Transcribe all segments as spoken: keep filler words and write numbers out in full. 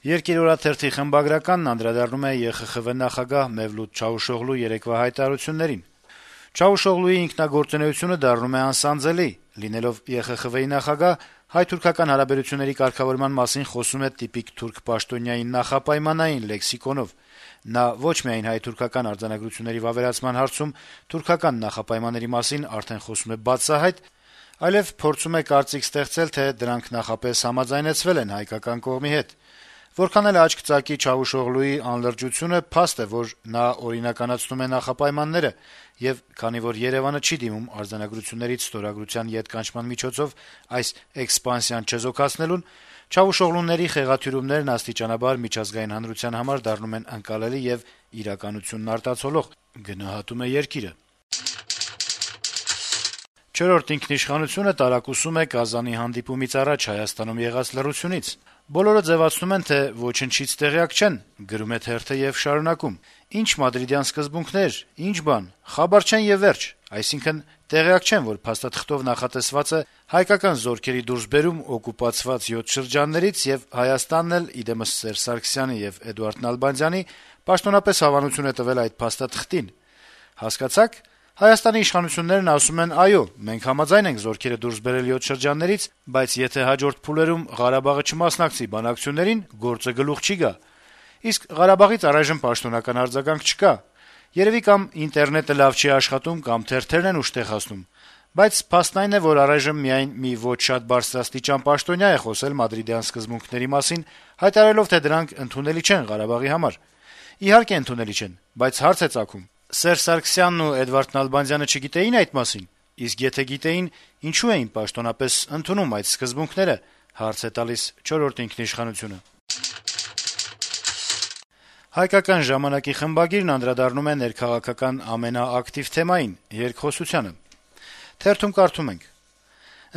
Երկիր օրաթերթի խմբագրականն անդրադառնում է Է Խ Խ Վե նախագահ Մևլութ Չավուշօղլու երեկվա հայտարարություններին. - Չավուշօղլուի ինքնագործունեությունը դառնում է անսանձելի: Լինելով Է Խ Խ Վեի նախագահ, հայ-թուրքական հարաբերությունների կարգավորման մասին խոսում է տիպիկ թուրք պաշտոնյայի նախապայմանային լեքսիկոնով: Նա ոչ միայն հայ-թուրքական արձանագրությունների վավերացման հարցում թուրքական նախապայմանների մասին արդեն խոսում է բացահայտ, այլեւ փորձում է կարծիք ստեղծել, թե դրանք նախապես համաձայնեցվել են հայկական կողմի հետ: Որքան էլ աչք ծակի Չավուշօղլուի անլրջությունը, փաստ է, որ նա օրինականացնում է նախապայմանները, եւ քանի որ Երեւանը չի դիմում արձանագրություններից ստորագրության ետ կանչման միջոցով այս էքսպանսիան չեզոքացնելուն, Չավուշօղլուների խեղաթյուրումներն աստիճանաբար միջազգային հանրության համար դառնում են ընկալելի եւ իրականությունն արտացոլող: «Չորրորդ ինքնիշխանություն»-ը տարակուսում է Կազանի հանդիպումից առաջ Հայաստանում եղած լռությունից. - «Բոլորը ձեւացնում են, թե ոչնչից տեղյակ չեն», - գրում է թերթը եւ շարունակում. - «Ինչ մադրիդյան սկզբունքներ, ինչ բան, խաբար չեն եւ վերջ, այսինքն տեղյակ չեն, որ փաստաթղթով նախատեսվածը հայկական զորքերի դուրսբերում օկուպացված յոթ շրջաններից եւ Հայաստանն էլ, ի դեմս Սերժ Սարգսյանի եւ Էդուարդ Նալբանդյանի, պաշտոնապես հավանություն է տվել այդ փաստաթղթին: Հասկացա՞ք: Հայաստանի իշխանություններն ասում են` այո, մենք համաձայն ենք զորքերը դուրս բերել յոթ շրջաններից, բայց եթե հաջորդ փուլերում Ղարաբաղը չմասնակցի բանակցություններին, գործը գլուխ չի գա: Իսկ Ղարաբաղից առայժմ պաշտոնական արձագանք չկա: Երեւի կամ ինտերնետը լավ չի աշխատում, կամ թերթերն են ուշ հասնում: Բայց փաստն այն է, որ առայժմ միայն մի ոչ շատ բարձրաստիճան պաշտոնյա է խոսել մադրիդյան սկզբունքների մասին, հայտարարելով, թե դրանք ընդունելի չեն Ղարաբաղի համար: Իհարկե ընդունելի չեն, բայց հարց է ծագում` Սերժ Սարգսյանն ու Էդվարդ Նալբանդյանը չգիտեի՞ն այդ մասին: Իսկ եթե գիտեին, ինչո՞ւ էին պաշտոնապես ընդունում այդ սկզբունքները»: «Հայկական ժամանակ»-ի խմբագիրն անդրադառնում է ներքաղաքական ամենաակտիվ թեմային` երկխոսությանը. -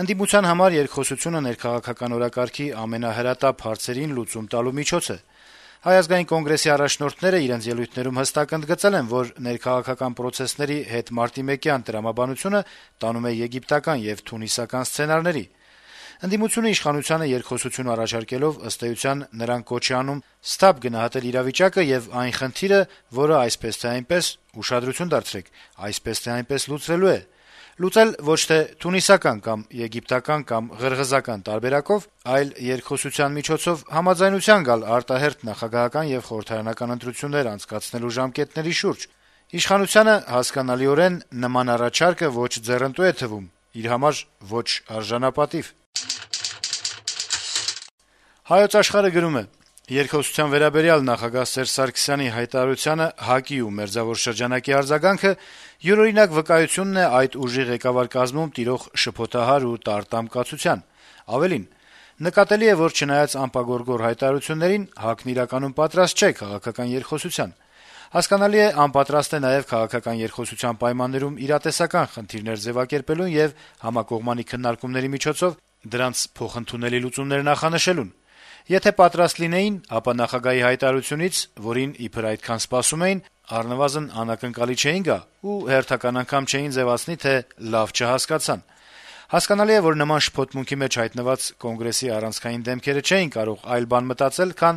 «Ընդդիմության համար երկխոսությունը ներքաղաքական օրակարգի ամենահրատապ հարցերին լուծում տալու միջոց է: Հայ ազգային կոնգրեսի առաջնորդները իրենց ելույթներում հստակ ընդգծել են, որ ներքաղաքական պրոցեսների հետմարտիմեկյան տրամաբանությունը տանում է եգիպտական եւ թունիսական սցենարների: Ընդդիմությունը իշխանությանը երկխոսություն առաջարկելով, ըստ էության, նրան կոչ է անում սթափ գնահատել իրավիճակը եւ այն խնդիրը, որը այսպես թե այնպես (ուշադրություն դարձրեք` այսպես թե այնպես) լուծվելու է: Լուծել ոչ թե թունիսական կամ եգիպտական կամ ղրղզական տարբերակով, այլ երկխոսության միջոցով համաձայնության գալ արտահերթ նախագահական եւ խորհրդարանական ընտրություններ անցկացնելու ժամկետների շուրջ: Իշխանությանը, հասկանալիորեն, նման առաջարկը ոչ ձեռնտու է թվում, իր համար ոչ արժանապատիվ»: «Հայոց Աշխարհ»-ը գրում է. - «Երկխոսության վերաբերյալ նախագահ Սերժ Սարգսյանի հայտարարությանը ՀԱԿ-ի ու Մերձավոր շրջանակի արձագանքը յուրօրինակ վկայությունն է այդ ուժի ղեկավար կազմում տիրող շփոթահար ու տարտամ կացության: Ավելին, նկատելի է, որ չնայած անպագորգոր հայտարարություններին, ՀԱԿ-ն իրականում պատրաստ չէ քաղաքական երկխոսության: Հասկանալի է, անպատրաստ է նաեւ քաղաքական երկխոսության պայմաններում իրատեսական խնդիրներ ձեւակերպելուն եւ համակողմանի քննարկումների միջոցով դրանց փոխընդունելի լուծումներ նախանշելուն: Եթե պատրաստ լինեին, ապա նախագահի հայտարարությունից, որին իբր այդքան սպասում էին, առնվազն անակնկալի չէին գա ու հերթական անգամ չէին ձեւացնի, թե լավ չհասկացան: Հասկանալի է, որ նման շփոթմունքի մեջ հայտնված Կոնգրեսի առանցքային դեմքերը չէին կարող այլ բան մտածել, քան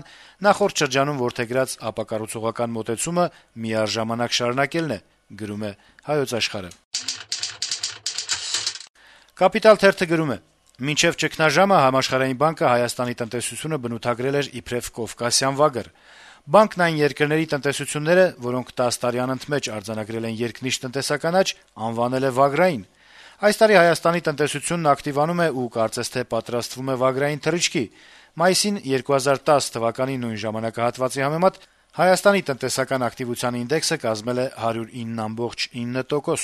նախորդ շրջանում որդեգրած ապակառուցողական մոտեցումը միառժամանակ շարունակելն է»: «Կապիտալ» թերթը գրում է. - «Մինչեւ ճգնաժամը Համաշխարհային բանկը Հայաստանի տնտեսությունը բնութագրել էր իբրեւ կովկասյան վագր: Բանկն այն երկրների տնտեսությունները, որոնք տասը տարի անընդմեջ արձանագրել են երկնիշ տնտեսական աճ, անվանել է վագրային: Այս տարի Հայաստանի տնտեսությունն ակտիվանում է ու կարծես թե պատրաստվում է վագրային թռիչքի: Մայիսին երկու հազար տասը թվականի նույն ժամանակահատվածի համեմատ Հայաստանի տնտեսական ակտիվության ինդեքսը կազմել է հարյուր ինը կoma ինը տոկոս»: